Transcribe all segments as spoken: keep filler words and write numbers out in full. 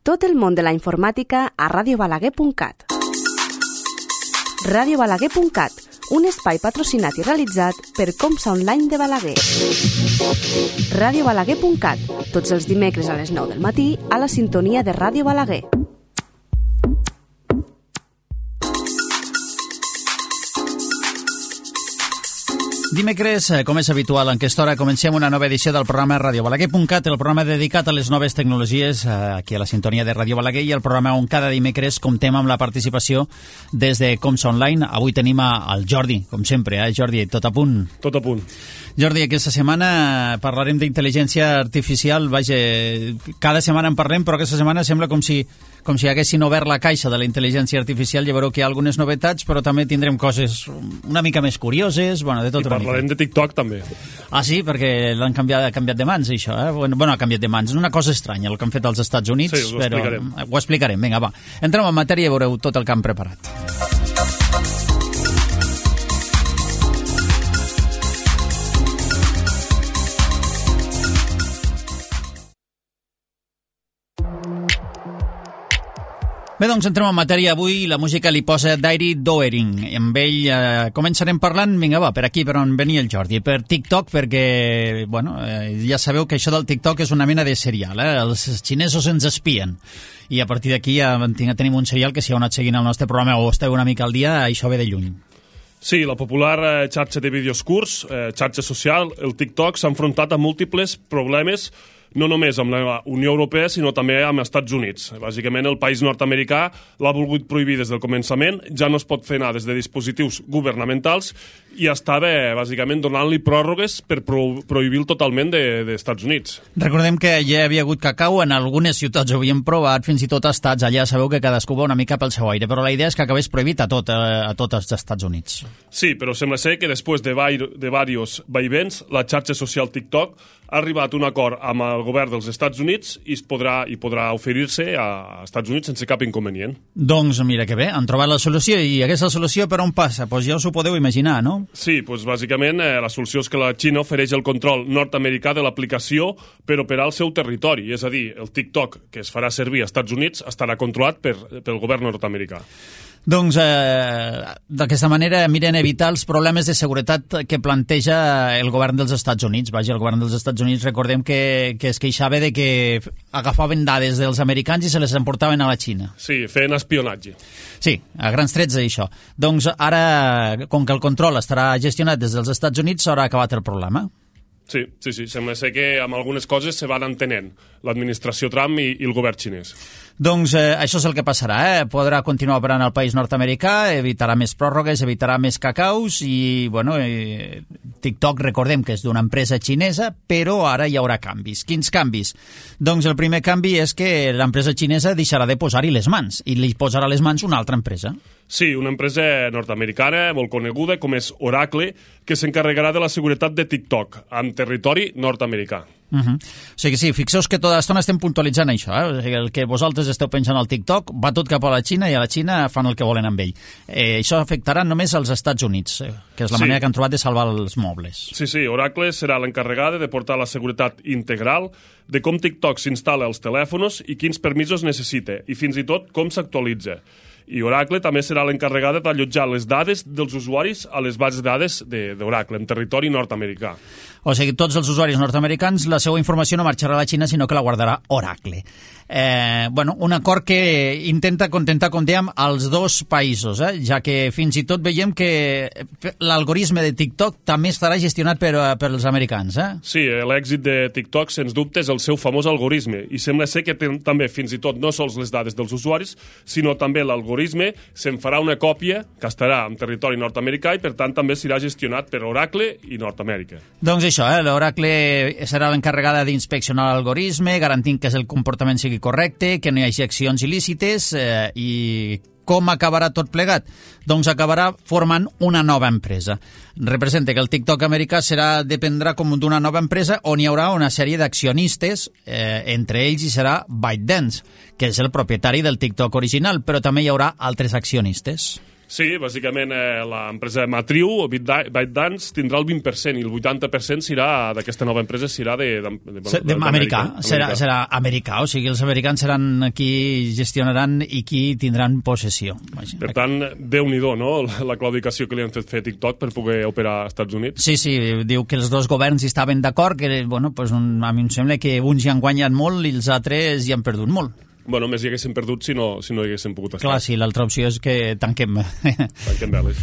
Tot el món de la informàtica a ràdio balaguer punt cat. ràdio balaguer punt cat, un espai patrocinat i realitzat per Comsa Online de Balaguer. ràdio balaguer punt cat, tots els dimecres a les nou del matí a la sintonia de Ràdio Balaguer. Dimecres, com és habitual, en aquesta hora comencem una nova edició del programa ràdio balaguer punt cat, el programa dedicat a les noves tecnologies aquí a la sintonia de Ràdio Balaguer i el programa on cada dimecres comptem amb la participació des de Comsa Online. Avui tenim el Jordi, com sempre, eh, Jordi? Tot a punt? Tot a punt. Jordi, aquesta setmana parlarem d'intel·ligència artificial. Vaja, cada setmana en parlem, però aquesta setmana sembla com si com si haguessin obert la caixa de la intel·ligència artificial. Ja veureu que hi ha algunes novetats, però també tindrem coses una mica més curioses, bueno, de tot I una mica. I parlarem de TikTok, també. Ah, sí? Perquè l'han canviat, canviat de mans, això, eh? Bueno, bueno, ha canviat de mans. És una cosa estranya, el que han fet als Estats Units, sí, ho però explicarem. ho explicarem. Vinga, va. Entrem en matèria i veureu tot el que han preparat. Bé, doncs entrem en matèria. Avui la música li posa Dairy Doering. Amb ell eh, començarem parlant, vinga va, per aquí per on venia el Jordi, per TikTok, perquè, bueno, eh, ja sabeu que això del TikTok és una mena de serial, eh? Els xinesos ens espien. I a partir d'aquí ja tenim un serial que si heu anat seguint el nostre programa o esteu una mica al dia, això ve de lluny. Sí, la popular eh, xarxa de vídeos curts, eh, xarxa social, el TikTok, s'ha enfrontat a múltiples problemes, no només amb la Unió Europea, sinó també amb els Estats Units. Bàsicament, el país nord-americà l'ha volgut prohibir des del començament, ja no es pot fer anar des de dispositius governamentals i estava, bàsicament, donant-li pròrrogues per pro prohibir-lo totalment dels de, Estats Units. Recordem que ja hi havia hagut cacau, en algunes ciutats ho havien provat, fins i tot a estats, allà sabeu que cadascú va una mica pel seu aire, però la idea és que acabés prohibit a tot, a, a tots els Estats Units. Sí, però sembla ser que després de, de diversos vaivents, la xarxa social TikTok ha arribat a un acord amb el govern dels Estats Units i es podrà, i podrà oferir-se als Estats Units sense cap inconvenient. Doncs mira que bé, han trobat la solució. I aquesta solució per on passa? Doncs ja us ho podeu imaginar, no? Sí, doncs bàsicament eh, la solució és que la Xina ofereix el control nord-americà de l'aplicació per operar al seu territori. És a dir, el TikTok que es farà servir als Estats Units estarà controlat per, pel govern nord-americà. Doncs eh, d'aquesta manera miren evitar els problemes de seguretat que planteja el govern dels Estats Units. Vaja, el govern dels Estats Units recordem que, que es queixava de que agafaven dades dels americans i se les emportaven a la Xina. Sí, feien espionatge. Sí, a grans trets això. Doncs ara, com que el control estarà gestionat des dels Estats Units, s'haurà acabat el problema. Sí, sí, sí, sembla ser que amb algunes coses se van entenent l'administració Trump i, i el govern xinès. Doncs eh, això és el que passarà, eh? Podrà continuar operant al país nord-americà, evitarà més pròrrogues, evitarà més cacaus i, bueno, eh, TikTok recordem que és d'una empresa xinesa, però ara hi haurà canvis. Quins canvis? Doncs el primer canvi és que l'empresa xinesa deixarà de posar-hi les mans i li posarà les mans una altra empresa. Sí, una empresa nord-americana molt coneguda com és Oracle, que s'encarregarà de la seguretat de TikTok amb territori nord-americà. Uh -huh. O sigui, sí, fixeu-vos que tota l'estona estem puntualitzant això, eh? O sigui, el que vosaltres esteu pensant al TikTok va tot cap a la Xina i a la Xina fan el que volen amb ell. Eh, això afectarà només als Estats Units, eh? Que és la sí. manera que han trobat de salvar els mobles. Sí, sí, Oracle serà l'encarregada de portar la seguretat integral de com TikTok s'instal·la als telèfons i quins permisos necessita, i fins i tot com s'actualitza. I Oracle també serà l'encarregada d'allotjar les dades dels usuaris a les bases de dades d'Oracle en territori nord-americà. O sigui, tots els usuaris nord-americans, la seva informació no marxarà a la Xina, sinó que la guardarà Oracle. Eh, bueno, un acord que intenta contentar, com dèiem, els dos països, eh? Ja que fins i tot veiem que l'algoritme de TikTok també estarà gestionat per, per els americans. Eh? Sí, l'èxit de TikTok, sens dubte, és el seu famós algoritme, i sembla ser que ten, també, fins i tot, no sols les dades dels usuaris, sinó també l'algoritme se'n farà una còpia que estarà en territori nord-americà i, per tant, també serà gestionat per Oracle i Nord-Amèrica. Doncs això, eh? l'Oracle serà l'encarregada d'inspeccionar l'algoritme, garantint que el comportament sigui correcte, que no hi hagi accions il·lícites eh, i com acabarà tot plegat? Doncs acabarà formant una nova empresa. Representa que el TikTok americà serà, dependrà com d'una nova empresa on hi haurà una sèrie d'accionistes, eh, entre ells hi serà ByteDance, que és el propietari del TikTok original, però també hi haurà altres accionistes. Sí, bàsicament eh, l'empresa matriu, o ByteDance, tindrà el vint per cent i el vuitanta per cent serà d'aquesta nova empresa serà de, de, de, de, de, americà, serà, serà americà, o sigui, els americans seran qui gestionaran i qui tindran possessió. Per tant, Déu-n'hi-do, no?, la claudicació que li han fet fer a TikTok per poder operar als Estats Units. Sí, sí, diu que els dos governs hi estaven d'acord, que, bueno, pues, un, a mi em sembla que uns hi han guanyat molt i els altres hi han perdut molt. Bueno, més hi haguessin perdut si no, si no hi haguessin pogut estar. Clar, sí, l'altra opció és que tanquem. Tanquem veles.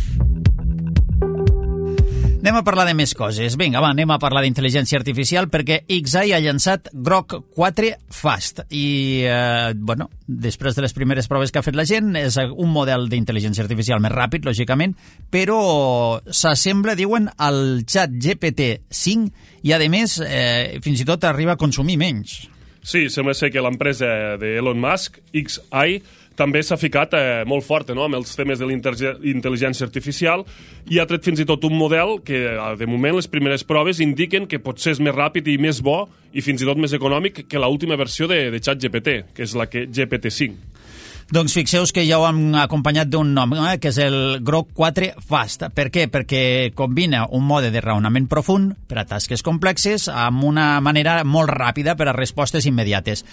Anem a parlar de més coses. Vinga, va, anem a parlar d'intel·ligència artificial perquè X A I ha llançat Grok quatre Fast i, eh, bueno, després de les primeres proves que ha fet la gent, és un model d'intel·ligència artificial més ràpid, lògicament, però s'assembla, diuen, al Chat G P T cinc i, a més, eh, fins i tot arriba a consumir menys. Sí, sembla ser que l'empresa d'Elon Musk, X A I, també s'ha ficat eh, molt forta, no?, amb els temes de l'intel·ligència artificial i ha tret fins i tot un model que, de moment, les primeres proves indiquen que potser és més ràpid i més bo i fins i tot més econòmic que l'última versió de, de ChatGPT, que és la que G P T cinc. Doncs fixeu-vos que ja ho hem acompanyat d'un nom, eh, que és el Grok quatre Fast. Per què? Perquè combina un mode de raonament profund per a tasques complexes amb una manera molt ràpida per a respostes immediates.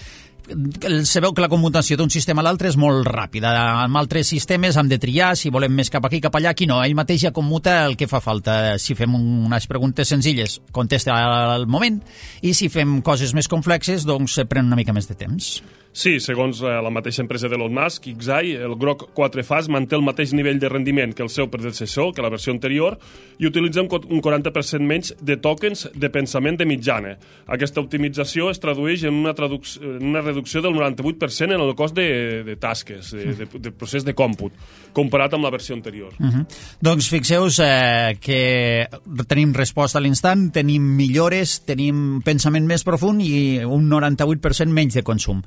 Se veu que la commutació d'un sistema a l'altre és molt ràpida. Amb altres sistemes hem de triar si volem més cap aquí, cap allà. Aquí no, ell mateix ja commuta el que fa falta. Si fem unes preguntes senzilles, contesta al moment, i si fem coses més complexes, doncs pren una mica més de temps. Sí, segons la mateixa empresa d'Elon Musk, X A I, el Grok quatre Fast manté el mateix nivell de rendiment que el seu predecessor, que la versió anterior, i utilitza un quaranta per cent menys de tokens de pensament de mitjana. Aquesta optimització es tradueix en una, en una reducció del noranta-vuit per cent en el cost de, de tasques, de, de, de procés de còmput, comparat amb la versió anterior. Uh -huh. Doncs fixeu-vos eh, que tenim resposta a l'instant, tenim millores, tenim pensament més profund i un noranta-vuit per cent menys de consum.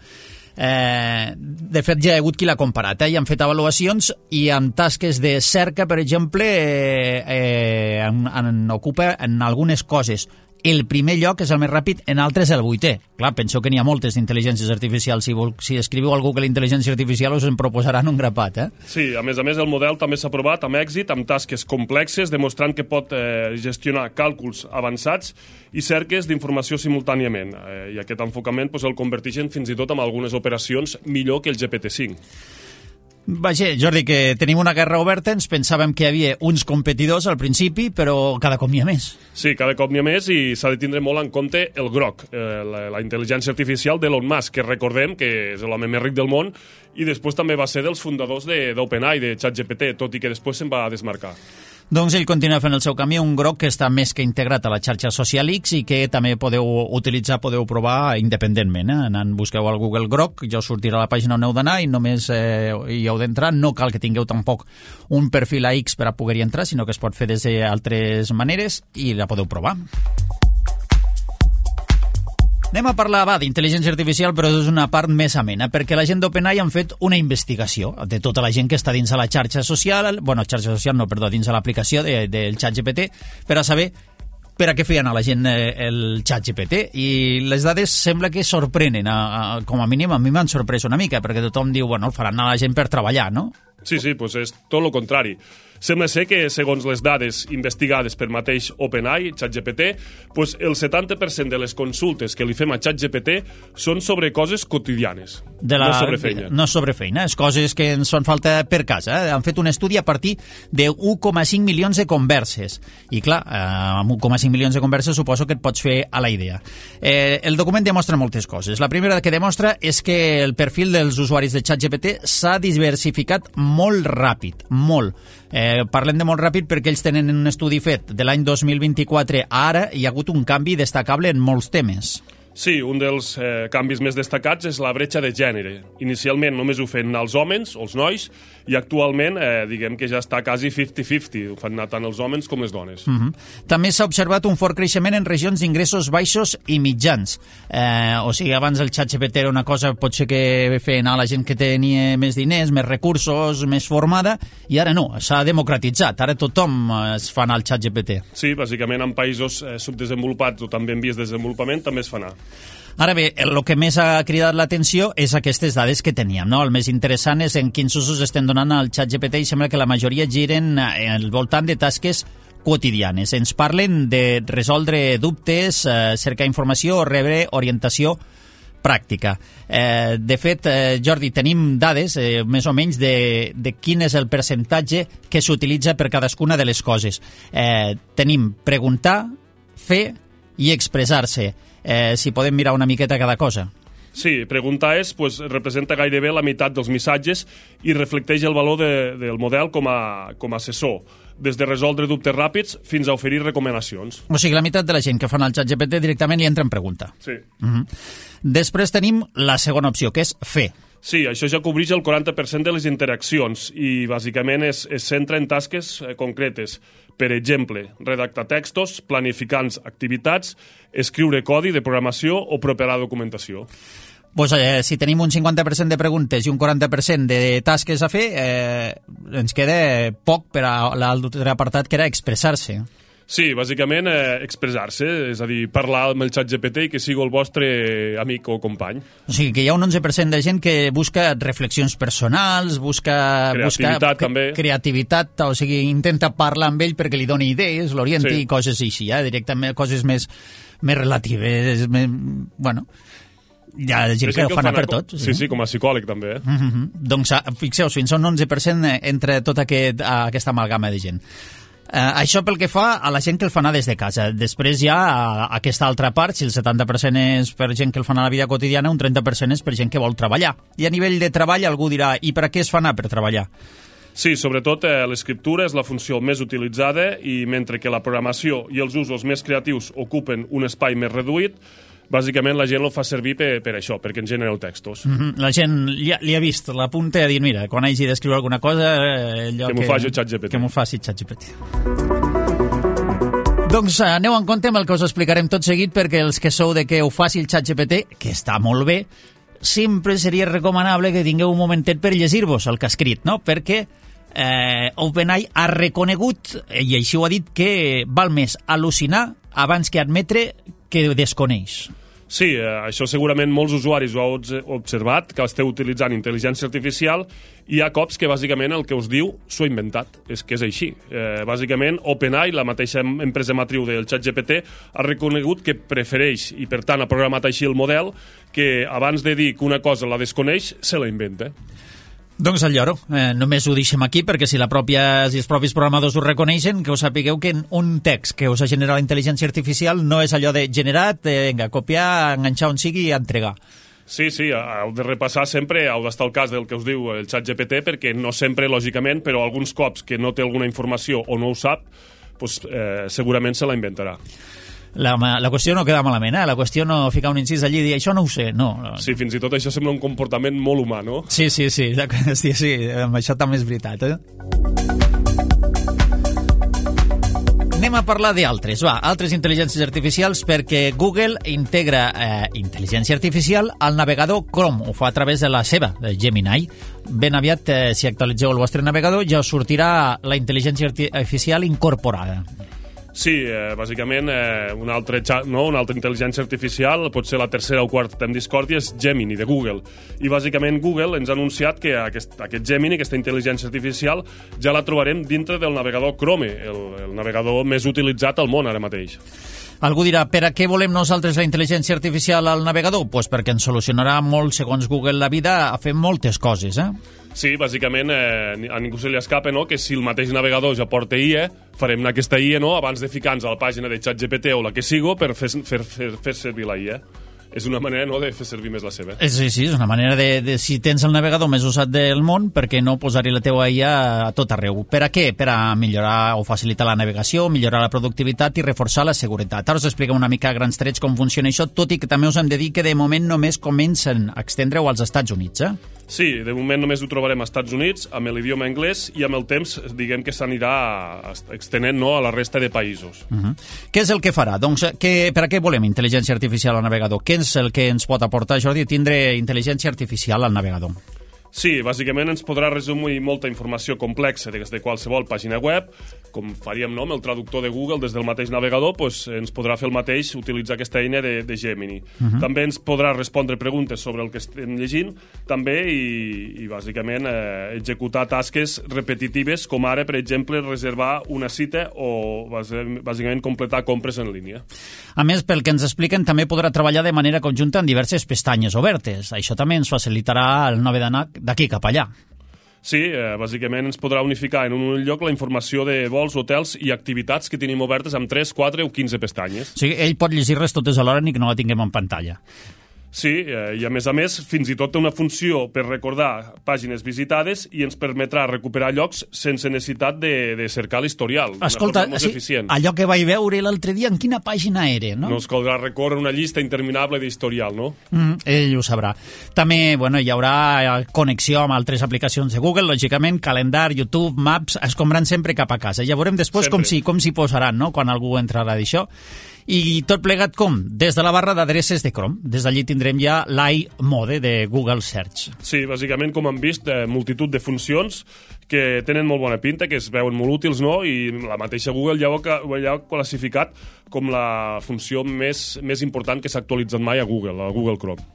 Eh, de fet, ja hi ha hagut qui l'ha comparat, eh? I han fet avaluacions i en tasques de cerca, per exemple, eh, eh, en, en ocupa en algunes coses el primer lloc, és el més ràpid, en altres el vuitè. Clar, penseu que n'hi ha moltes d'intel·ligències artificials. Si, vol, si escriviu al Google intel·ligència artificial us en proposaran un grapat, eh? Sí, a més a més el model també s'ha provat amb èxit amb tasques complexes, demostrant que pot eh, gestionar càlculs avançats i cerques d'informació simultàniament. Eh, I aquest enfocament pues, el converteixen fins i tot en algunes operacions millor que el G P T cinc. Vaja, Jordi, que tenim una guerra oberta, ens pensàvem que hi havia uns competidors al principi, però cada cop n'hi ha més. Sí, cada cop n'hi ha més i s'ha de tindre molt en compte el Grok, eh, la, la intel·ligència artificial d'Elon Musk, que recordem que és l'home més ric del món i després també va ser dels fundadors d'OpenAI, de, de ChatGPT, tot i que després se'n va desmarcar. Doncs ell continua fent el seu camí, un Grok que està més que integrat a la xarxa social X i que també podeu utilitzar, podeu provar independentment. Eh? Anant, busqueu al Google Grok, ja us sortirà la pàgina on heu d'anar i només eh, hi heu d'entrar. No cal que tingueu tampoc un perfil a X per a poder-hi entrar, sinó que es pot fer des d'altres maneres i la podeu provar. Anem a parlar, va, d'intel·ligència artificial, però és una part més amena, perquè la gent d'OpenAI han fet una investigació de tota la gent que està dins a la xarxa social, bueno, xarxa social no, perdó, dins a l'aplicació de, del ChatGPT, per a saber per a què feien a la gent el ChatGPT, i les dades sembla que sorprenen, a, a, com a mínim a mi m'han sorprès una mica, perquè tothom diu, bueno, el faran a la gent per treballar, no? Sí, sí, doncs és tot el contrari. Sembla ser que, segons les dades investigades per mateix OpenAI, ChatGPT, doncs el setanta per cent de les consultes que li fem a ChatGPT són sobre coses quotidianes, de la, no sobre feina. No sobre feina, és coses que ens fan falta per casa. Eh? Han fet un estudi a partir de un coma cinc milions de converses. I clar, eh, amb un coma cinc milions de converses suposo que et pots fer a la idea. Eh, el document demostra moltes coses. La primera que demostra és que el perfil dels usuaris de ChatGPT s'ha diversificat molt ràpid, molt. Eh, parlem de molt ràpid perquè ells tenen un estudi fet de l'any dos mil vint-i-quatre a ara i hi ha hagut un canvi destacable en molts temes. Sí, un dels eh, canvis més destacats és la bretxa de gènere. Inicialment només ho feien els homes, els nois, i actualment eh, diguem que ja està quasi cinquanta cinquanta, ho fan anar tant els homes com les dones. Uh -huh. També s'ha observat un fort creixement en regions d'ingressos baixos i mitjans. Eh, o sigui, abans el ChatGPT era una cosa potser que feien a la gent que tenia més diners, més recursos, més formada, i ara no, s'ha democratitzat. Ara tothom es fa anar al ChatGPT. Sí, bàsicament en països eh, subdesenvolupats o també en vies de desenvolupament també es fa anar. Ara bé, el que més ha cridat l'atenció és aquestes dades que teníem, no? El més interessant és en quins usos estem donant al ChatGPT i sembla que la majoria giren al voltant de tasques quotidianes. Ens parlen de resoldre dubtes, eh, cercar informació o rebre orientació pràctica. Eh, de fet, eh, Jordi, tenim dades, eh, més o menys, de, de quin és el percentatge que s'utilitza per cadascuna de les coses. Eh, tenim preguntar, fer i expressar-se. Eh, si podem mirar una miqueta cada cosa. Sí, preguntar és, pues, representa gairebé la meitat dels missatges i reflecteix el valor de, del model com a, com a assessor, des de resoldre dubtes ràpids fins a oferir recomanacions. O sigui, la meitat de la gent que fan el ChatGPT directament li entra en pregunta. Sí. Uh-huh. Després tenim la segona opció, que és fer. Sí, això ja cobreix el quaranta per cent de les interaccions i bàsicament es, es centra en tasques eh, concretes. Per exemple, redactar textos, planificar activitats, escriure codi de programació o preparar documentació. Pues, eh, si tenim un cinquanta per cent de preguntes i un quaranta per cent de tasques a fer, eh, ens queda poc per a l'altre apartat, que era expressar-se. Sí, bàsicament eh, expressar-se, és a dir, parlar amb el ChatGPT i que sigui el vostre amic o company. O sigui, que hi ha un onze per cent de gent que busca reflexions personals, busca... Creativitat, busca, també. Creativitat, o sigui, intenta parlar amb ell perquè li doni idees, l'orienti Sí. i coses així, eh? Directament, coses més, més relatives, més, bueno... Hi ha gent que ho fa anar per tot. Sí, sí, com a psicòleg també. Eh? Mm-hmm. Doncs fixeu-vos, fins a un onze per cent entre tota aquest, aquesta amalgama de gent. Uh, això pel que fa a la gent que el fa anar des de casa. Després hi ha uh, aquesta altra part, si el setanta per cent és per gent que el fa anar a la vida quotidiana, un trenta per cent és per gent que vol treballar. I a nivell de treball algú dirà, i per a què es fa anar per treballar? Sí, sobretot eh, l'escriptura és la funció més utilitzada i mentre que la programació i els usos més creatius ocupen un espai més reduït, bàsicament la gent el fa servir per, per això, perquè en genereu textos. Mm-hmm. La gent li ha, li ha vist la punta i ha dit, mira, quan hagi d'escriure alguna cosa... Eh, allò que m'ho faci ChatGPT. Que m'ho faci ChatGPT. Doncs aneu en compte amb el que us explicarem tot seguit, perquè els que sou de que ho faci el ChatGPT, que està molt bé, sempre seria recomanable que tingueu un momentet per llegir-vos el que ha escrit, no? Perquè eh, OpenAI ha reconegut, i així ho ha dit, que val més al·lucinar abans que admetre que desconeix. Sí, eh, això segurament molts usuaris ho heu observat, que esteu utilitzant intel·ligència artificial, i hi ha cops que bàsicament el que us diu s'ho ha inventat, és que és així. Eh, bàsicament, OpenAI, la mateixa empresa matriu del ChatGPT, ha reconegut que prefereix, i per tant ha programat així el model, que abans de dir que una cosa la desconeix, se la inventa. Doncs el lloro. Eh, només ho deixem aquí perquè si, la pròpia, si els propis programadors ho reconeixen, que us sapigueu que un text que us ha generat la intel·ligència artificial no és allò de generat, de, vinga, copiar, enganxar on sigui i entregar. Sí, sí, heu de repassar sempre, heu d'estar al cas del que us diu el ChatGPT, perquè no sempre, lògicament, però alguns cops que no té alguna informació o no ho sap, doncs, eh, segurament se la inventarà. La, la qüestió no queda malament, eh? La qüestió no ficar un incís allí i dir això no ho sé, no. Sí, fins i tot això sembla un comportament molt humà, no? Sí, sí, sí, sí, sí, amb això també és veritat, eh? Anem a parlar d'altres, va, altres intel·ligències artificials, perquè Google integra eh, intel·ligència artificial al navegador Chrome, ho fa a través de la seva, de Gemini. Ben aviat, eh, si actualitzeu el vostre navegador, ja us sortirà la intel·ligència artificial incorporada. Sí, eh, bàsicament eh, una, altra, no? una altra intel·ligència artificial, pot ser la tercera o quarta en Discord, és Gemini, de Google. I bàsicament Google ens ha anunciat que aquest, aquest Gemini, aquesta intel·ligència artificial, ja la trobarem dintre del navegador Chrome, el, el navegador més utilitzat al món ara mateix. Algú dirà, per a què volem nosaltres la intel·ligència artificial al navegador? Doncs pues perquè ens solucionarà molt, segons Google, la vida a fer moltes coses, eh? Sí, bàsicament eh, a ningú se li escapa, no?, que si el mateix navegador ja porta I A, farem aquesta I A, no?, abans de ficar-nos a la pàgina de ChatGPT o la que sigo per fer, fer, fer, fer servir la I A. És una manera, no?, de fer servir més la seva. Sí, sí, és una manera de, de si tens el navegador més usat del món, per què no posar-hi la teva I A a tot arreu? Per a què? Per a millorar o facilitar la navegació, millorar la productivitat i reforçar la seguretat. Ara us expliquem una mica a grans trets com funciona això, tot i que també us hem de dir que de moment només comencen a extendre-ho als Estats Units, eh? Sí, de moment només ho trobarem als Estats Units, amb l'idioma anglès, i amb el temps, diguem que s'anirà extenent, no?, a la resta de països. Uh-huh. Què és el que farà? Doncs, que, per a què volem intel·ligència artificial al navegador? Què és el que ens pot aportar, Jordi, tindre intel·ligència artificial al navegador? Sí, bàsicament ens podrà resumir molta informació complexa des de qualsevol pàgina web, com faríem no, amb el traductor de Google des del mateix navegador, doncs ens podrà fer el mateix utilitzar aquesta eina de, de Gemini. Uh-huh. També ens podrà respondre preguntes sobre el que estem llegint, també, i, i bàsicament eh, executar tasques repetitives, com ara, per exemple, reservar una cita o bàsicament completar compres en línia. A més, pel que ens expliquen, també podrà treballar de manera conjunta en diverses pestanyes obertes. Això també ens facilitarà el no haver d'anar d'aquí cap allà. Sí, eh, bàsicament ens podrà unificar en un lloc la informació de vols, hotels i activitats que tenim obertes amb tres, quatre o quinze pestanyes. O sigui, ell pot llegir-les totes alhora ni que no la tinguem en pantalla. Sí, eh, i a més a més, fins i tot té una funció per recordar pàgines visitades i ens permetrà recuperar llocs sense necessitat de, de cercar l'historial. Escolta, sí, allò que vaig veure l'altre dia, en quina pàgina era, no? No ens caldrà recórrer una llista interminable d'historial, no? Mm, ell ho sabrà. També, bueno, hi haurà connexió amb altres aplicacions de Google, lògicament, calendar, YouTube, Maps, es compraran sempre cap a casa. Ja veurem després com s'hi com s'hi posaran, no?, quan algú entrarà d'això. I tot plegat com? Des de la barra d'adreces de Chrome. Des d'allí tindrem ja l'iMode de Google Search. Sí, bàsicament, com hem vist, eh, multitud de funcions que tenen molt bona pinta, que es veuen molt útils, no? I la mateixa Google ja ho, ho ha classificat com la funció més, més important que s'ha actualitzat mai a Google, a Google Chrome.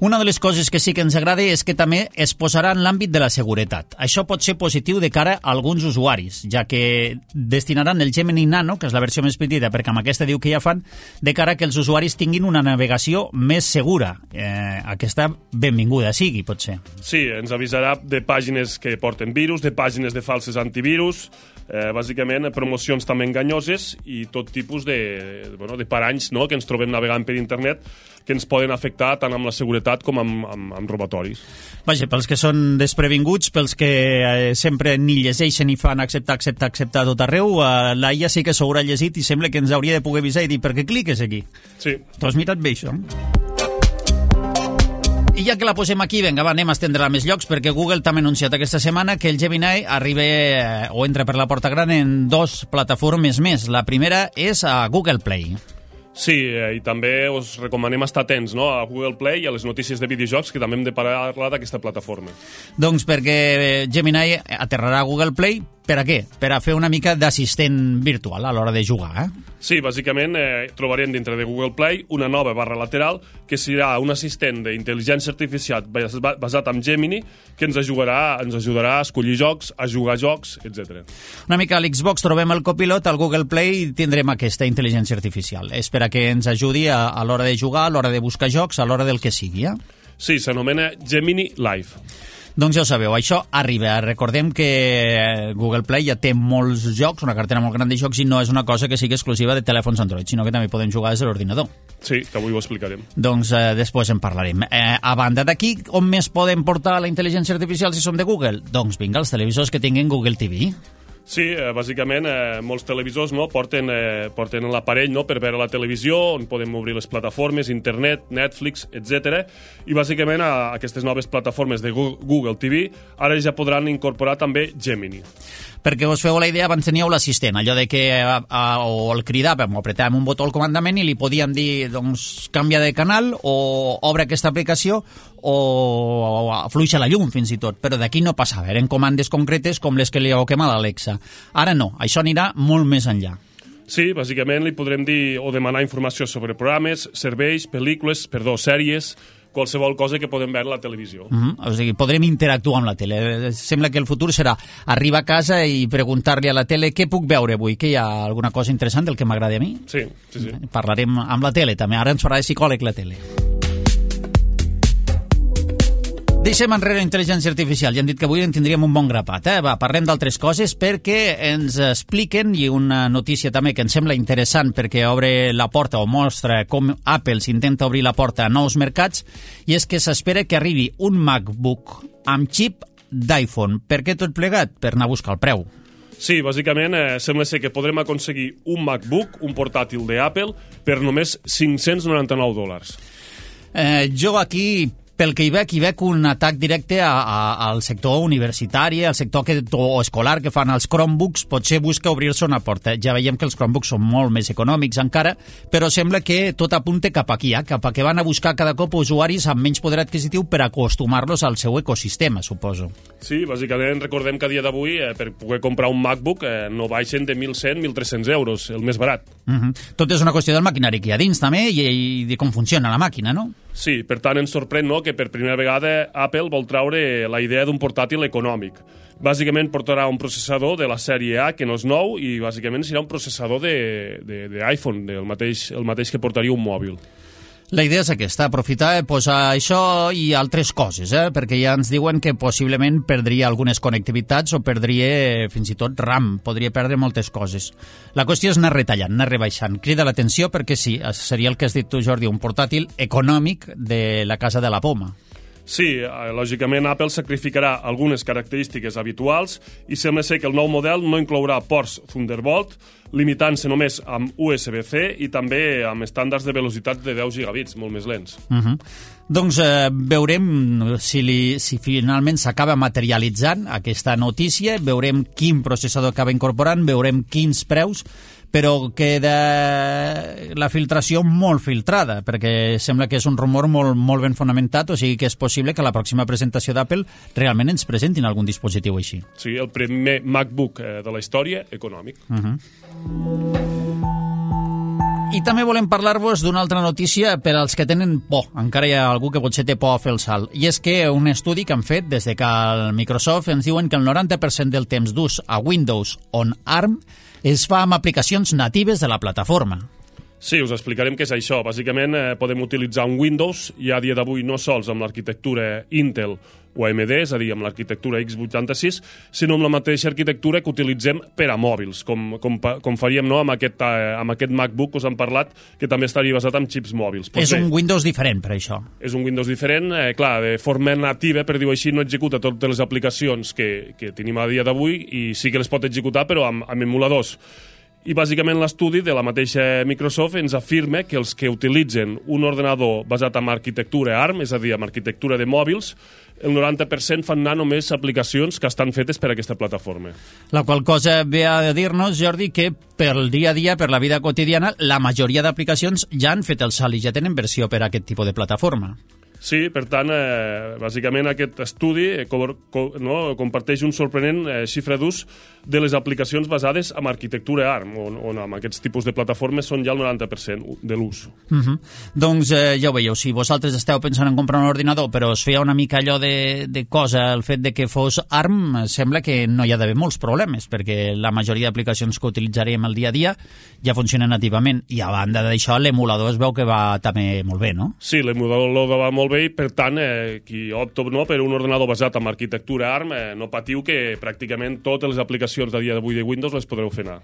Una de les coses que sí que ens agrada és que també es posarà en l'àmbit de la seguretat. Això pot ser positiu de cara a alguns usuaris, ja que destinaran el Gemini Nano, que és la versió més petita, perquè amb aquesta diu que ja fan, de cara que els usuaris tinguin una navegació més segura. Eh, aquesta benvinguda sigui, potser. Sí, ens avisarà de pàgines que porten virus, de pàgines de falses antivirus, eh, bàsicament promocions també enganyoses i tot tipus de, bueno, de paranys, no?, que ens trobem navegant per internet, que ens poden afectar tant amb la seguretat com amb, amb, amb robatoris. Vaja, pels que són desprevinguts, pels que eh, sempre ni llegeixen i fan acceptar, acceptar, acceptar tot arreu, eh, la I A sí que s'haurà llegit i sembla que ens hauria de poder avisar i dir per què cliques aquí. Sí. Tu has mirat bé això? I ja que la posem aquí, vinga, va, anem a estendre-la a més llocs, perquè Google també ha anunciat aquesta setmana que el Gemini arriba eh, o entra per la porta gran en dos plataformes més. La primera és a Google Play. Sí, eh, i també us recomanem estar atents, no?, a Google Play i a les notícies de videojocs, que també hem de parlar d'aquesta plataforma. Doncs perquè Gemini aterrarà a Google Play, per a què? Per a fer una mica d'assistent virtual a l'hora de jugar, eh? Sí, bàsicament eh, trobarem dintre de Google Play una nova barra lateral que serà un assistent d'intel·ligència artificial basat en Gemini que ens ajudarà, ens ajudarà a escollir jocs, a jugar jocs, etcètera. Una mica a l'Xbox trobem el copilot, al Google Play tindrem aquesta intel·ligència artificial. És per a que ens ajudi a, a l'hora de jugar, a l'hora de buscar jocs, a l'hora del que sigui, eh? Sí, s'anomena Gemini Live. Doncs ja ho sabeu, això arriba. Recordem que Google Play ja té molts jocs, una cartera molt gran de jocs, i no és una cosa que sigui exclusiva de telèfons Android, sinó que també podem jugar des de l'ordinador. Sí, que avui ho explicarem. Doncs eh, després en parlarem. Eh, a banda d'aquí, on més podem portar la intel·ligència artificial si som de Google? Doncs vinga, els televisors que tinguin Google T V. Sí, eh, bàsicament eh, molts televisors, no, porten, eh, porten l'aparell, no, per veure la televisió, on podem obrir les plataformes, internet, Netflix, etcètera. I bàsicament a aquestes noves plataformes de Google T V ara ja podran incorporar també Gemini. Perquè us feu la idea, abans teníeu l'assistent, allò de que a, a, o el cridàvem o apretàvem un botó al comandament i li podíem dir, doncs, canvia de canal o obre aquesta aplicació o, o afluixa la llum, fins i tot. Però d'aquí no passava, eren comandes concretes com les que li heu quemat a l'Alexa. Ara no, això anirà molt més enllà. Sí, bàsicament li podrem dir o demanar informació sobre programes, serveis, pel·lícules, perdó, sèries, qualsevol cosa que podem veure a la televisió. Mm-hmm. O sigui, podrem interactuar amb la tele. Sembla que el futur serà arribar a casa i preguntar-li a la tele què puc veure avui, que hi ha alguna cosa interessant del que m'agrada a mi. Sí, sí, sí. Parlarem amb la tele també, ara ens farà de psicòleg la tele. Deixem enrere la intel·ligència artificial. Ja hem dit que avui en tindríem un bon grapat. Eh? Va, parlem d'altres coses perquè ens expliquen, i una notícia també que ens sembla interessant perquè obre la porta o mostra com Apple s'intenta obrir la porta a nous mercats, i és que s'espera que arribi un MacBook amb xip d'iPhone. Per què tot plegat? Per anar a buscar el preu. Sí, bàsicament eh, sembla ser que podrem aconseguir un MacBook, un portàtil d'Apple, per només cinc-cents noranta-nou dòlars. Eh, jo aquí Pel que hi veig, hi veig un atac directe a, a, al sector universitari, al sector que, o escolar que fan els Chromebooks. Potser busca obrir-se una porta. Ja veiem que els Chromebooks són molt més econòmics encara, però sembla que tot apunta cap aquí, eh? Cap a que van a buscar cada cop usuaris amb menys poder adquisitiu per acostumar-los al seu ecosistema, suposo. Sí, bàsicament recordem que a dia d'avui eh, per poder comprar un MacBook eh, no baixen de mil cent a mil tres-cents euros, el més barat. Uh-huh. Tot és una qüestió del maquinari que hi ha dins també i, i de com funciona la màquina, no? Sí, per tant ens sorprèn, no?, que per primera vegada Apple vol traure la idea d'un portàtil econòmic. Bàsicament portarà un processador de la sèrie A, que no és nou, i bàsicament serà un processador d'iPhone, de, de, el, mateix, el mateix que portaria un mòbil. La idea és aquesta, aprofitar i posar això i altres coses, eh? Perquè ja ens diuen que possiblement perdria algunes connectivitats o perdria fins i tot RAM, podria perdre moltes coses. La qüestió és anar retallant, anar rebaixant. Crida l'atenció perquè sí, seria el que has dit tu, Jordi, un portàtil econòmic de la casa de la poma. Sí, lògicament Apple sacrificarà algunes característiques habituals i sembla ser que el nou model no inclourà ports Thunderbolt, limitant-se només amb U S B C i també amb estàndards de velocitat de deu gigabits, molt més lents. Uh-huh. Doncs eh, veurem si, li, si finalment s'acaba materialitzant aquesta notícia, veurem quin processador acaba incorporant, veurem quins preus, però queda la filtració molt filtrada, perquè sembla que és un rumor molt, molt ben fonamentat, o sigui que és possible que a la pròxima presentació d'Apple realment ens presentin algun dispositiu així. Sí, el primer MacBook de la història econòmic. Uh-huh. I també volem parlar-vos d'una altra notícia per als que tenen por. Encara hi ha algú que potser té por a fer el salt. I és que un estudi que han fet des de que el Microsoft ens diuen que el noranta per cent del temps d'ús a Windows on ARM es fa amb aplicacions natives de la plataforma. Sí, us explicarem què és això. Bàsicament, eh, podem utilitzar un Windows i a dia d'avui no sols amb l'arquitectura Intel o A M D, és a dir, amb l'arquitectura x vuitanta-sis, sinó amb la mateixa arquitectura que utilitzem per a mòbils, com, com, com faríem no, amb, aquest, eh, amb aquest MacBook que us han parlat, que també estaria basat en xips mòbils. Pues és bé, un Windows diferent, per això. És un Windows diferent, eh, clar, de forma nativa, per dir-ho així, no executa totes les aplicacions que, que tenim a dia d'avui i sí que les pot executar, però amb, amb emuladors. I bàsicament l'estudi de la mateixa Microsoft ens afirma que els que utilitzen un ordenador basat en arquitectura ARM, és a dir, en arquitectura de mòbils, el noranta per cent fan anar només aplicacions que estan fetes per a aquesta plataforma. La qual cosa ve a dir-nos, Jordi, que per el dia a dia, per la vida quotidiana, la majoria d'aplicacions ja han fet el salt i ja tenen versió per a aquest tipus de plataforma. Sí, per tant, eh, bàsicament aquest estudi eh, co co no, comparteix un sorprenent eh, xifra d'ús de les aplicacions basades en arquitectura ARM, on, on amb aquests tipus de plataformes són ja el noranta per cent de l'ús. Uh -huh. Doncs eh, ja ho veieu, si vosaltres esteu pensant en comprar un ordinador però us feia una mica allò de, de cosa el fet de que fos ARM, sembla que no hi ha d'haver molts problemes, perquè la majoria d'aplicacions que utilitzarem el dia a dia ja funcionen nativament, i a banda d'això l'emulador es veu que va també molt bé, no? Sí, l'emulador va molt bé i per tant eh, qui opta no, per un ordenador basat en arquitectura ARM eh, no patiu que pràcticament totes les aplicacions de dia d'avui de Windows les podreu fer anar.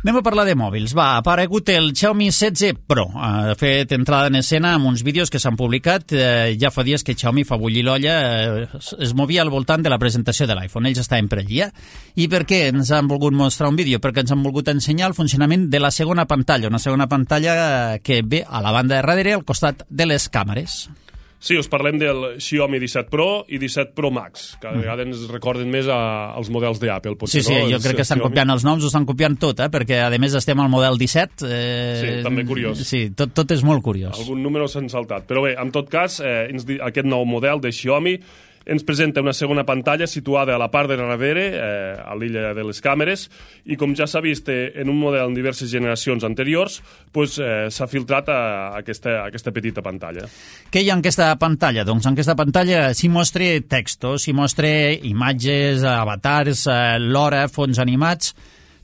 Anem a parlar de mòbils. Va, ha aparegut el Xiaomi setze Pro. Ha fet entrada en escena amb uns vídeos que s'han publicat. Eh, ja fa dies que Xiaomi fa bullir l'olla. Eh, es movia al voltant de la presentació de l'iPhone. Ells estaven per allà. I per què ens han volgut mostrar un vídeo? Perquè ens han volgut ensenyar el funcionament de la segona pantalla. Una segona pantalla que ve a la banda de darrere, al costat de les càmeres. Sí, us parlem del Xiaomi disset Pro i disset Pro Max. Cada vegada ens recorden més a, als models d'Apple. Sí, sí, no? jo crec que estan Xiaomi... copiant els noms, ho estan copiant tot, eh? Perquè a més estem al model disset. Eh... Sí, també curiós. Sí, tot, tot és molt curiós. Algun número s'han saltat. Però bé, en tot cas, eh, aquest nou model de Xiaomi ens presenta una segona pantalla situada a la part de darrere, eh, a l'illa de les càmeres, i com ja s'ha vist eh, en un model en diverses generacions anteriors, pues, eh, s'ha filtrat a, a, aquesta, a aquesta petita pantalla. Què hi ha en aquesta pantalla? Doncs en aquesta pantalla s'hi mostra textos, s'hi mostra imatges, avatars, eh, l'hora, fons animats,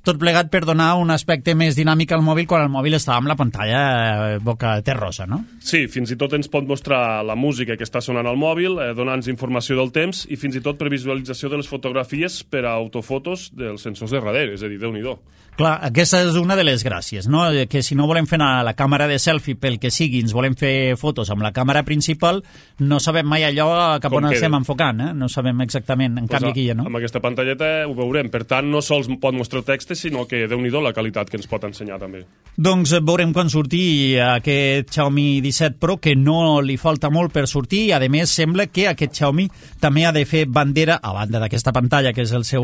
tot plegat per donar un aspecte més dinàmic al mòbil quan el mòbil està amb la pantalla boca terrosa, no? Sí, fins i tot ens pot mostrar la música que està sonant al mòbil, eh, donant-nos informació del temps i fins i tot previsualització de les fotografies per a autofotos dels sensors de darrere, és a dir, Déu-n'hi-do. Clar, aquesta és una de les gràcies, no? Que si no volem fer la càmera de selfie pel que sigui, ens volem fer fotos amb la càmera principal, no sabem mai allò cap on estem enfocant, eh? No sabem exactament, en pues canvi aquí ja no. Amb aquesta pantalleta ho veurem, per tant no sols pot mostrar text, este, sinó que déu-n'hi-do la qualitat que ens pot ensenyar també. Doncs veurem quan surti aquest Xiaomi disset Pro, que no li falta molt per sortir, i a més sembla que aquest Xiaomi també ha de fer bandera, a banda d'aquesta pantalla que és el seu,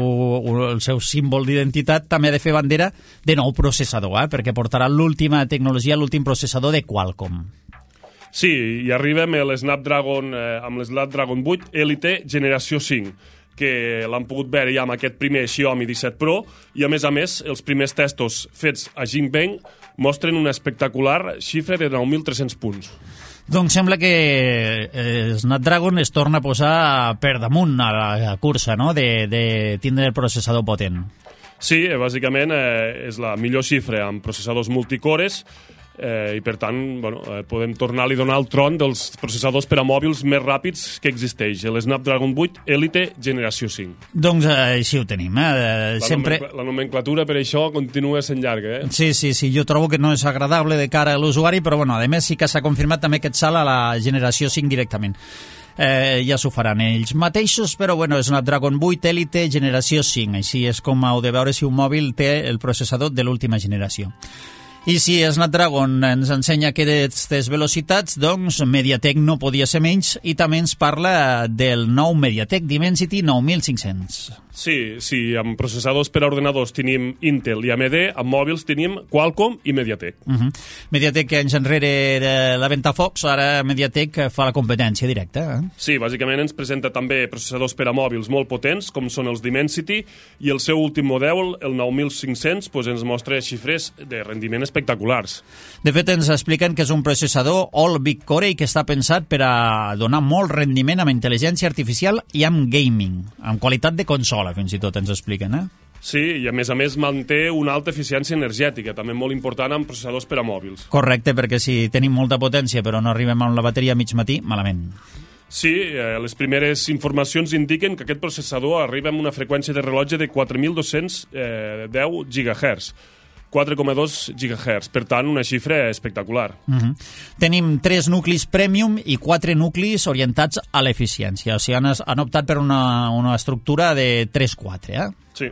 el seu símbol d'identitat, també ha de fer bandera de nou processador, eh? Perquè portarà l'última tecnologia, l'últim processador de Qualcomm. Sí, i arribem a l'Snapdragon, eh, amb l'Snapdragon vuit Elite generació cinc, que l'han pogut veure ja amb aquest primer Xiaomi disset Pro, i a més a més els primers testos fets a Jinbei mostren una espectacular xifra de nou mil tres-cents punts. Doncs sembla que eh, Snapdragon es torna a posar per damunt a la cursa, no?, de, de tindre el processador potent. Sí, bàsicament eh, és la millor xifra amb processadors multicores, Eh, i per tant bueno, eh, podem tornar-li a donar el tron dels processadors per a mòbils més ràpids que existeix, el Snapdragon vuit Elite generació cinc. Doncs eh, així ho tenim. Eh? La, Sempre... nomencl la nomenclatura per això continua sent llarga. Eh? Sí, sí, sí, jo trobo que no és agradable de cara a l'usuari, però bueno, a més sí que s'ha confirmat també aquest salt a la generació cinc directament. Eh, ja s'ho faran ells mateixos, però bueno, és Snapdragon vuit Elite generació cinc, així és com heu de veure si un mòbil té el processador de l'última generació. I si Snapdragon ens ensenya aquestes velocitats, doncs MediaTek no podia ser menys, i també ens parla del nou MediaTek Dimensity nou mil cinc-cents. Sí, sí, amb processadors per a ordenadors tenim Intel i A M D, amb mòbils tenim Qualcomm i MediaTek. Uh -huh. MediaTek anys enrere era la Ventafocs, ara MediaTek fa la competència directa. Eh? Sí, bàsicament ens presenta també processadors per a mòbils molt potents, com són els Dimensity, i el seu últim model, el nou mil cinc-cents, doncs ens mostra xifres de rendiment espectaculars. De fet, ens expliquen que és un processador All Big Core i que està pensat per a donar molt rendiment amb intel·ligència artificial i amb gaming, amb qualitat de consola, fins i tot ens expliquen, eh? Sí, i a més a més manté una alta eficiència energètica, també molt important amb processadors per a mòbils. Correcte, perquè si tenim molta potència però no arribem amb la bateria a mig matí, malament. Sí, eh, les primeres informacions indiquen que aquest processador arriba amb una freqüència de rellotge de quatre mil dos-cents deu gigahertz, quatre coma dos gigahertz, per tant, una xifra espectacular. Uh -huh. Tenim tres nuclis premium i quatre nuclis orientats a l'eficiència, o sigui, han, han optat per una, una estructura de tres quatre, eh? Sí.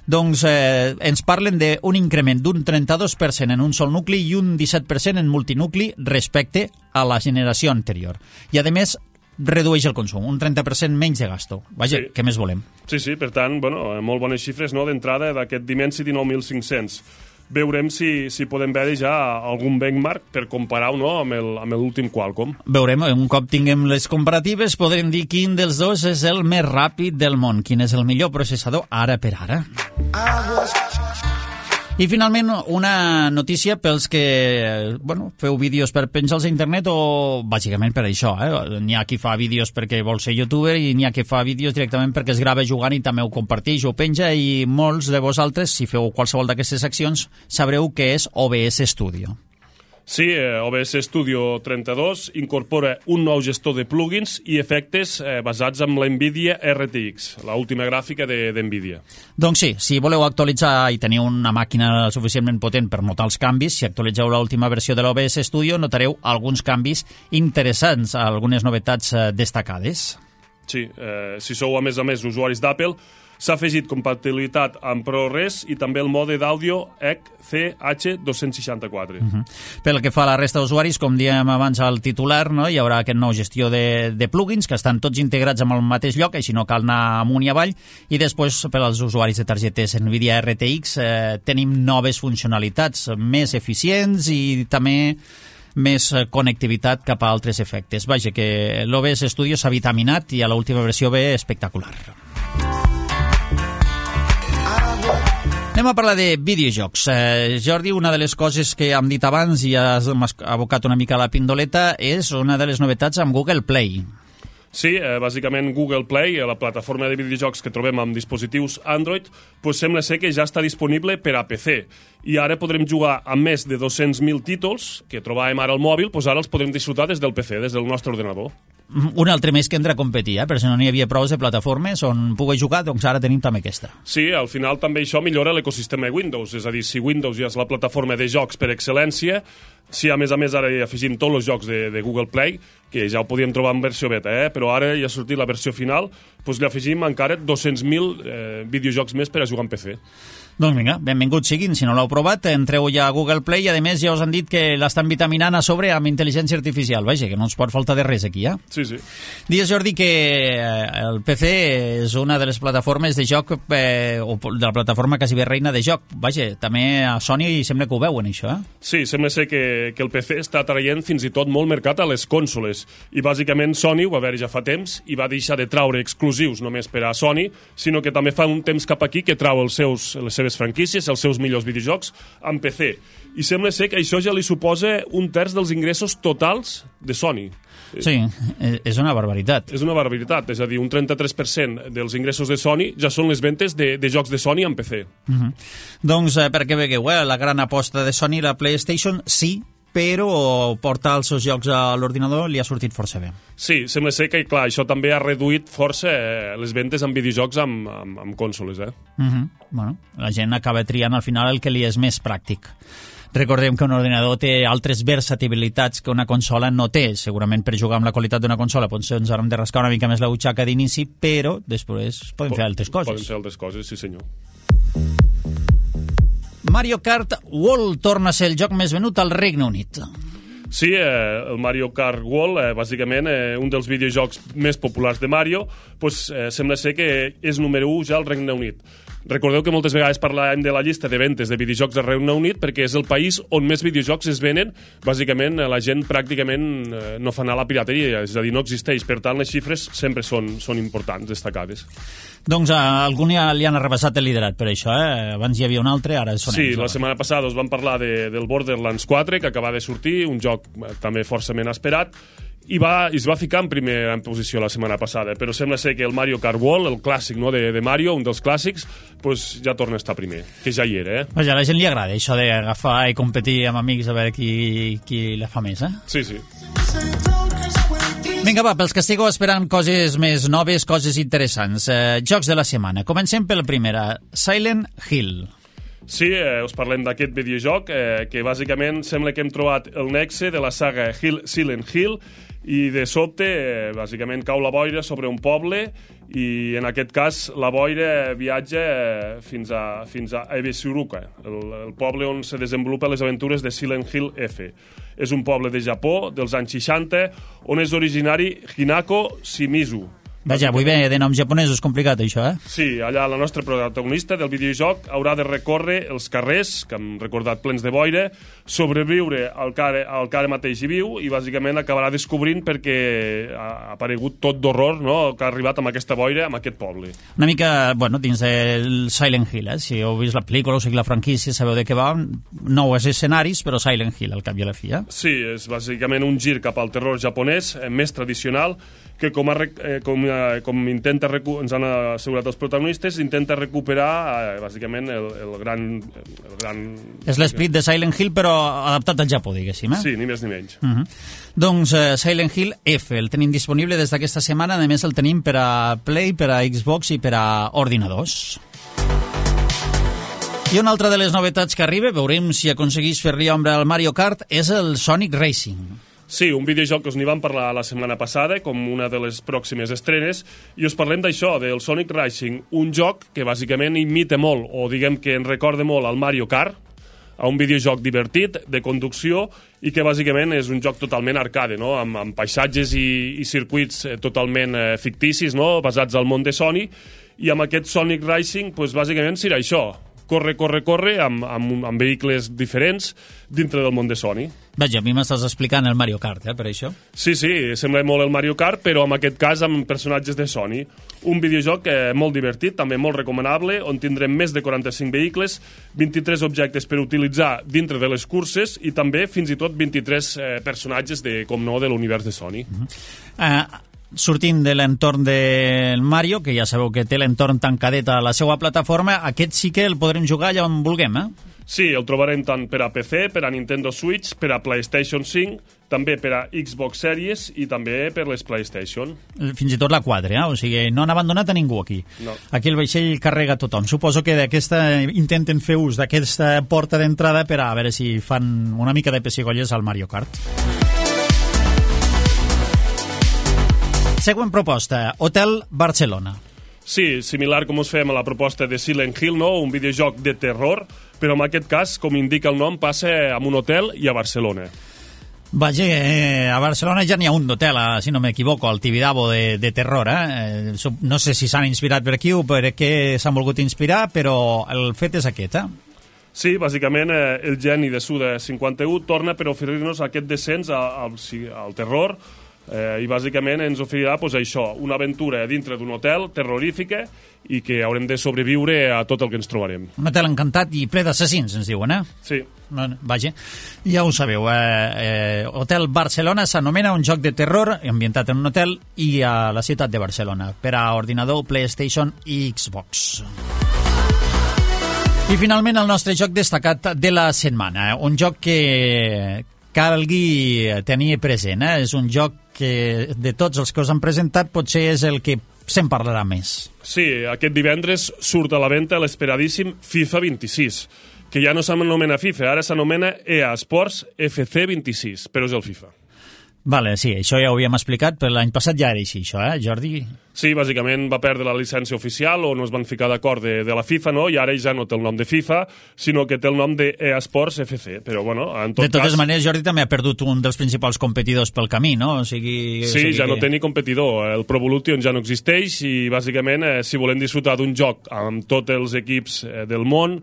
Doncs eh, ens parlen d'un increment d'un trenta-dos per cent en un sol nucli i un disset per cent en multinucli respecte a la generació anterior. I, a més, redueix el consum, un trenta per cent menys de gasto. Vaja, sí. Què més volem? Sí, sí, per tant, bueno, molt bones xifres, no?, d'entrada d'aquest Dimensity nou mil cinc-cents. Veurem si, si podem veure ja algun benchmark per comparar-ho, no?, amb l'últim Qualcomm. Veurem, un cop tinguem les comparatives podrem dir quin dels dos és el més ràpid del món, quin és el millor processador ara per ara. I finalment una notícia pels que bueno, feu vídeos per penjar-los a internet o bàsicament per això. Eh? N'hi ha qui fa vídeos perquè vol ser youtuber i n'hi ha qui fa vídeos directament perquè es grava jugant i també ho comparteix o penja, i molts de vosaltres, si feu qualsevol d'aquestes accions, sabreu què és O B S Studio. Sí, eh, O B S Studio trenta-dos incorpora un nou gestor de plugins i efectes eh, basats en la NVIDIA R T X, l'última gràfica de, de NVIDIA. Doncs sí, si voleu actualitzar i teniu una màquina suficientment potent per notar els canvis, si actualitzeu l'última versió de l'O B S Studio notareu alguns canvis interessants, algunes novetats eh, destacades. Sí, eh, si sou a més a més usuaris d'Apple, s'ha afegit compatibilitat amb ProRes i també el mode d'àudio E C H dos seixanta-quatre. Uh -huh. Pel que fa a la resta d'usuaris, com dèiem abans al titular, no, hi haurà aquest nou gestió de, de plugins que estan tots integrats en el mateix lloc, així no cal anar amunt i avall, i després per als usuaris de targetes NVIDIA R T X eh, tenim noves funcionalitats més eficients i també més connectivitat cap a altres efectes. Vaja, que l'O B S Studio s'ha vitaminat i a l'última versió ve espectacular. Anem a parlar de videojocs. Eh, Jordi, una de les coses que hem dit abans i has abocat una mica a la pindoleta és una de les novetats amb Google Play. Sí, eh, bàsicament Google Play, la plataforma de videojocs que trobem amb dispositius Android, pues sembla ser que ja està disponible per a P C. I ara podrem jugar amb més de dos-cents mil títols que trobàvem ara al mòbil, pues ara els podrem disfrutar des del P C, des del nostre ordenador. Un altre més que entra a competir, eh? Però si no n'hi havia prou de plataformes on pugui jugar, doncs ara tenim també aquesta. Sí, al final també això millora l'ecosistema de Windows, és a dir, si Windows ja és la plataforma de jocs per excel·lència, si a més a més ara hi afegim tots els jocs de, de Google Play, que ja ho podíem trobar en versió beta, eh? Però ara ja ha sortit la versió final, doncs li afegim encara dos-cents mil eh, videojocs més per a jugar en P C. Doncs vinga, benvinguts siguin. Si no l'heu provat, entreu ja a Google Play i, a més, ja us han dit que l'estan vitaminant a sobre amb intel·ligència artificial. Vaja, que no ens pot faltar de res aquí, eh? Sí, sí. Dies, Jordi, que el P C és una de les plataformes de joc, eh, o de la plataforma quasi bé reina de joc. Vaja, també a Sony sembla que ho veuen, això, eh? Sí, sembla ser que, que el P C està traient fins i tot molt mercat a les cònsoles. I, bàsicament, Sony ho va veure ja fa temps i va deixar de traure exclusius només per a Sony, sinó que també fa un temps cap aquí que trau els seus, les seves franquícies, els seus millors videojocs, en P C. I sembla ser que això ja li suposa un terç dels ingressos totals de Sony. Sí, és una barbaritat. És una barbaritat, és a dir, un trenta-tres per cent dels ingressos de Sony ja són les ventes de, de jocs de Sony en P C. Uh-huh. Doncs, eh, perquè vegueu, eh, la gran aposta de Sony, la PlayStation, sí, però portar els seus jocs a l'ordinador li ha sortit força bé. Sí, sembla ser que, clar, això també ha reduït força eh, les ventes en videojocs amb, amb, amb cònsoles, eh? Uh-huh. Bueno, la gent acaba triant al final el que li és més pràctic. Recordem que un ordinador té altres versatilitats que una consola no té. Segurament per jugar amb la qualitat d'una consola potser ens haurem de rascar una mica més la butxaca d'inici, però després poden fer altres coses. Poden fer altres coses, sí senyor. Mario Kart World torna a ser el joc més venut al Regne Unit. Sí, eh, el Mario Kart World, eh, bàsicament, eh, un dels videojocs més populars de Mario, pues, eh, sembla ser que és número u ja al Regne Unit. Recordeu que moltes vegades parlàvem de la llista de ventes de videojocs del Regne Unit perquè és el país on més videojocs es venen. Bàsicament, la gent pràcticament eh, no fa anar a la pirateria, és a dir, no existeix. Per tant, les xifres sempre són, són importants, destacades. Doncs a algun ja li han arrabassat el liderat per això, eh? Abans hi havia un altre, ara són sí, ells. Sí, la setmana passada us vam parlar de, del Borderlands quatre, que acaba de sortir, un joc eh, també forçament esperat, i va, es va ficar en primera posició la setmana passada, però sembla ser que el Mario Kart World, el clàssic, no, de, de Mario, un dels clàssics, pues ja torna a estar primer, que ja hi era, eh? Vaja, a la gent li agrada això d'agafar i competir amb amics a veure qui, qui la fa més, eh? Sí, sí. Vinga, va, pels que estigueu esperant coses més noves, coses interessants. Eh, jocs de la setmana. Comencem pel primer, Silent Hill. Sí, eh, us parlem d'aquest videojoc, eh, que bàsicament sembla que hem trobat el nexe de la saga Hill, Silent Hill, i de sobte, eh, bàsicament, cau la boira sobre un poble i, en aquest cas, la boira viatja eh, fins a, fins a Ebisuruka, el, el poble on se desenvolupen les aventures de Silent Hill F. És un poble de Japó dels anys seixanta, on és originari Hinako Shimizu. Vaja, avui ve de noms japonesos, complicat això, eh? Sí, allà la nostra protagonista del videojoc haurà de recórrer els carrers, que hem recordat plens de boira, sobreviure al que, al que ara mateix hi viu i bàsicament acabarà descobrint perquè ha aparegut tot d'horror, no?, que ha arribat amb aquesta boira, amb aquest poble. Una mica, bueno, dins del Silent Hill, eh? Si heu vist la pel·lícula o sigui la franquícia, sabeu de què va, nous escenaris, però Silent Hill, al cap i a la fi, eh? Sí, és bàsicament un gir cap al terror japonès, eh, més tradicional, que com, a, eh, com, eh, com intenta ens han assegurat els protagonistes, intenta recuperar eh, bàsicament el, el gran... El gran... És l'esperit de Silent Hill, però adaptat al Japó, diguéssim, eh? Sí, ni més ni menys. Uh-huh. Doncs uh, Silent Hill F, el tenim disponible des d'aquesta setmana, a més el tenim per a Play, per a Xbox i per a ordinadors. I una altra de les novetats que arriba, veurem si aconseguís fer-li ombra al Mario Kart, és el Sonic Racing. Sí, un videojoc que us n'hi vam parlar la setmana passada, com una de les pròximes estrenes, i us parlem d'això, del Sonic Racing, un joc que bàsicament imita molt, o diguem que ens recorda molt al Mario Kart, a un videojoc divertit, de conducció, i que bàsicament és un joc totalment arcade, no?, amb, amb paisatges i, i circuits totalment eh, ficticis, no?, basats al món de Sony, i amb aquest Sonic Racing, pues, bàsicament serà això, corre, corre, corre, amb, amb, amb vehicles diferents dintre del món de Sony. Vaja, a mi m'estàs explicant el Mario Kart, eh, per això? Sí, sí, sembla molt el Mario Kart, però en aquest cas amb personatges de Sony. Un videojoc eh, molt divertit, també molt recomanable, on tindrem més de quaranta-cinc vehicles, vint-i-tres objectes per utilitzar dintre de les curses i també fins i tot vint-i-tres eh, personatges, de, com no, de l'univers de Sony. Uh-huh. uh, Sortint de l'entorn del Mario, que ja sabeu que té l'entorn tancadet a la seva plataforma, aquest sí que el podrem jugar allà on vulguem, eh? Sí, el trobarem tant per a P C, per a Nintendo Switch, per a PlayStation cinc, també per a Xbox Series i també per les PlayStation. Fins i tot la quatre, eh? O sigui, no han abandonat a ningú aquí. No. Aquí el vaixell carrega tothom. Suposo que d'aquesta intenten fer ús d'aquesta porta d'entrada per a veure si fan una mica de pessigolles al Mario Kart. Següent proposta, Hotel Barcelona. Sí, similar com us fem a la proposta de Silent Hill, no? Un videojoc de terror, però en aquest cas, com indica el nom, passa en un hotel i a Barcelona. Vaja, eh, a Barcelona ja n'hi ha un d'hotel, eh, si no m'equivoco, el Tibidabo de, de terror. Eh? No sé si s'han inspirat per aquí o per què s'han volgut inspirar, però el fet és aquest, eh? Sí, bàsicament eh, el geni de Suda cinquanta-u torna per oferir-nos aquest descens al, al terror, eh, i bàsicament ens oferirà pues, això, una aventura dintre d'un hotel terrorífica i que haurem de sobreviure a tot el que ens trobarem. Un hotel encantat i ple d'assassins, ens diuen, eh? Sí. Vaja, ja ho sabeu, eh, eh, Hotel Barcelona s'anomena un joc de terror ambientat en un hotel i a la ciutat de Barcelona per a ordinador, PlayStation i Xbox. I finalment el nostre joc destacat de la setmana, un joc que calgui tenir present, eh? És un joc que de tots els que us han presentat potser és el que se'n parlarà més. Sí, aquest divendres surt a la venda l'esperadíssim FIFA vint-i-sis, que ja no s'anomena FIFA, ara s'anomena E A Sports F C vint-i-sis, però és el FIFA. Vale, sí, això ja ho havíem explicat, però l'any passat ja era així, això, eh, Jordi? Sí, bàsicament va perdre la llicència oficial o no es van ficar d'acord de, de la FIFA, no? I ara ja no té el nom de FIFA, sinó que té el nom de E A Sports F C, però bueno, en tot cas... De totes cas... maneres, Jordi també ha perdut un dels principals competidors pel camí, no? O sigui... Sí, o sigui ja que... no té ni competidor, el Pro Evolution ja no existeix i bàsicament, eh, si volem disfrutar d'un joc amb tots els equips eh, del món,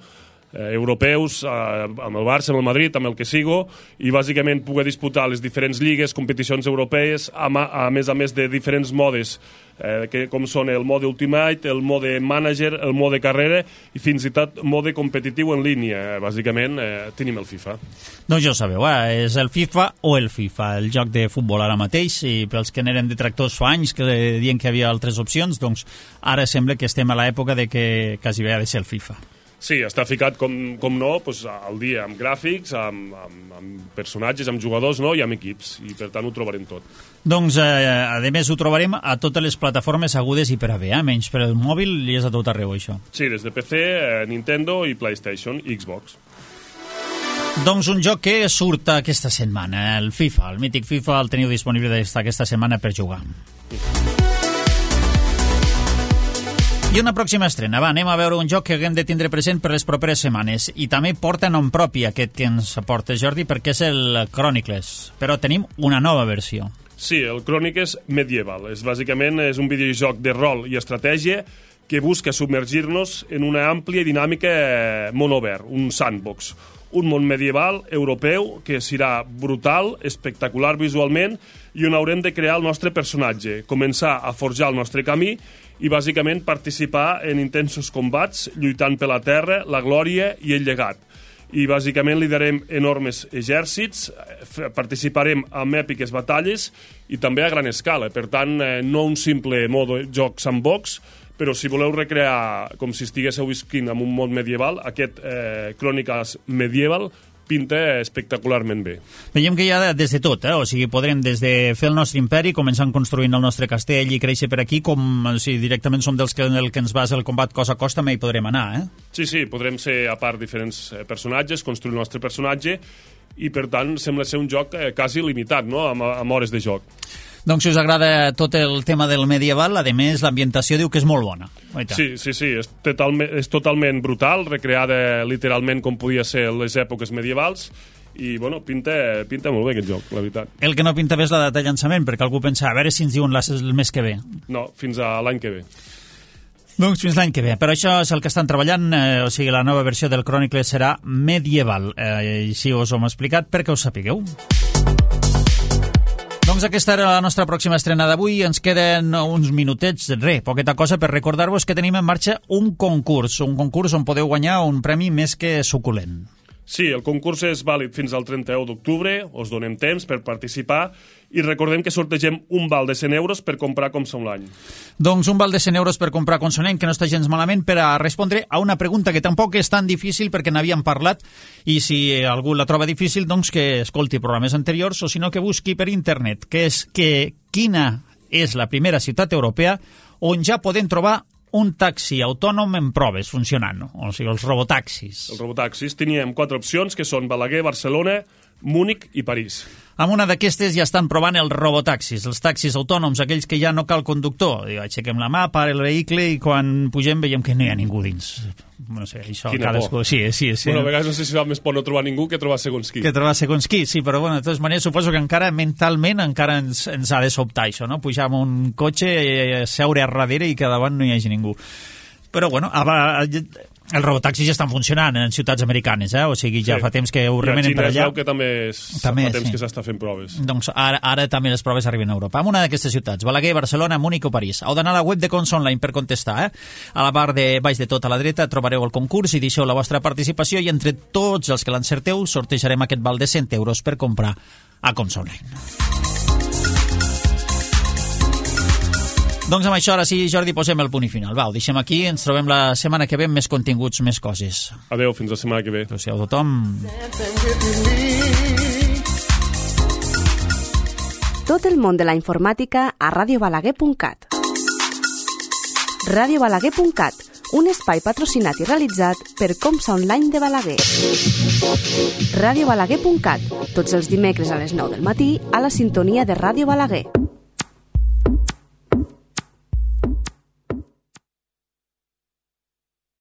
Eh, europeus, eh, amb el Barça, amb el Madrid, amb el que sigo, i bàsicament poder disputar les diferents lligues, competicions europees, a, a més a més de diferents modes, eh, que, com són el mode Ultimate, el mode Manager, el mode Carrera i fins i tot mode competitiu en línia. Eh, bàsicament eh, tenim el FIFA. Doncs ja ho sabeu, eh? És el FIFA o el FIFA, el joc de futbol ara mateix, i pels que n'eren detractors fa anys que diuen que hi havia altres opcions, doncs ara sembla que estem a l'època de que quasi bé ha de ser el FIFA. Sí, està ficat, com, com no, pues, al dia amb gràfics, amb, amb, amb personatges, amb jugadors, no? I amb equips, i per tant ho trobarem tot. Doncs, eh, a més, ho trobarem a totes les plataformes agudes i per a bé, eh? Menys per el mòbil i és a tot arreu, això. Sí, des de P C, eh, Nintendo i PlayStation i Xbox. Doncs un joc que surt aquesta setmana, el FIFA, el mític FIFA, el teniu disponible des d'aquesta setmana per jugar. I una pròxima estrena, va, anem a veure un joc que haguem de tindre present per les properes setmanes, i també porta nom propi aquest que ens aporta Jordi, perquè és el Chronicles, però tenim una nova versió. Sí, el Chronicles Medieval, és bàsicament és un videojoc de rol i estratègia que busca submergir-nos en una àmplia i dinàmica món obert, un sandbox, un món medieval europeu que serà brutal, espectacular visualment, i on haurem de crear el nostre personatge, començar a forjar el nostre camí i bàsicament participar en intensos combats, lluitant per la terra, la glòria i el llegat. I bàsicament liderem enormes exèrcits, participarem en èpiques batalles i també a gran escala. Per tant, no un simple modo joc sandbox, però si voleu recrear com si estiguéssiu visquint en un món medieval, aquest eh, Chronicles Medieval pinta espectacularment bé. Veiem que hi ha des de tot, eh? O sigui, podrem des de fer el nostre imperi, començant construint el nostre castell i créixer per aquí, com si directament som dels que, el que ens basa el combat cos a cos, també hi podrem anar, eh? Sí, sí, podrem ser a part diferents personatges, construir el nostre personatge, i per tant sembla ser un joc eh, quasi limitat, no?, amb, amb hores de joc. Doncs si us agrada tot el tema del medieval, a més l'ambientació diu que és molt bona. Oita. Sí, sí, sí, és totalment, és totalment brutal, recreada literalment com podia ser les èpoques medievals, i bueno, pinta, pinta molt bé aquest joc, la veritat. El que no pinta bé és la data de llançament, perquè algú pensa, a veure si ens diuen el mes que ve. No, fins a l'any que ve. Doncs fins l'any que ve. Però això és el que estan treballant, eh, o sigui, la nova versió del Chronicles serà medieval. Eh, així us ho hem explicat perquè ho sapigueu. Doncs aquesta era la nostra pròxima estrena d'avui. Ens queden uns minutets, res, poqueta cosa, per recordar-vos que tenim en marxa un concurs, un concurs on podeu guanyar un premi més que suculent. Sí, el concurs és vàlid fins al trenta-u d'octubre, us donem temps per participar i recordem que sortegem un val de cent euros per comprar com som l'any. Doncs un val de cent euros per comprar com som l'any, que no està gens malament, per a respondre a una pregunta que tampoc és tan difícil perquè n'havíem parlat, i si algú la troba difícil, doncs que escolti programes anteriors, o si no que busqui per internet, que és que quina és la primera ciutat europea on ja podem trobar un taxi autònom en proves funcionant, no? O sigui, els robotaxis. Els robotaxis teníem quatre opcions, que són Balaguer, Barcelona, Múnich i París. Amb una d'aquestes ja estan provant els robotaxis, els taxis autònoms, aquells que ja no cal conductor. Aixequem la mà, para el vehicle i quan pugem veiem que no hi ha ningú dins. No sé, això... Quina por. Sí, sí, sí. Bueno, a vegades no sé si va més por no trobar ningú que trobar segons qui. Que trobar segons qui, sí, però bueno, de totes maneres suposo que encara mentalment encara ens, ens ha de sobtar això, no? Pujar amb un cotxe, seure a darrere i que davant no hi hagi ningú. Però bueno, els robotaxis ja estan funcionant en ciutats americanes, eh? O sigui, ja sí. Fa temps que ho remenen per allà. I a Xina es veu que també, és, també fa temps sí. Que s'està fent proves. Doncs ara, ara també les proves arriben a Europa. En una d'aquestes ciutats, Balaguer, Barcelona, Múnich o París. Heu d'anar a la web de Cons Online per contestar, eh? A la part de baix de tot a la dreta trobareu el concurs i deixeu la vostra participació i entre tots els que l'encerteu sortejarem aquest val de cent euros per comprar a Cons Online. Doncs amb això, ara sí, Jordi, posem el punt i final. Va, ho deixem aquí, ens trobem la setmana que ve amb més continguts, més coses. Adéu, fins la setmana que ve. Adéu a tothom. Tot el món de la informàtica a radio balaguer punt cat. radio balaguer punt cat, un espai patrocinat i realitzat per Comsa Online de Balaguer. radio balaguer punt cat, tots els dimecres a les nou del matí a la sintonia de Ràdio Balaguer.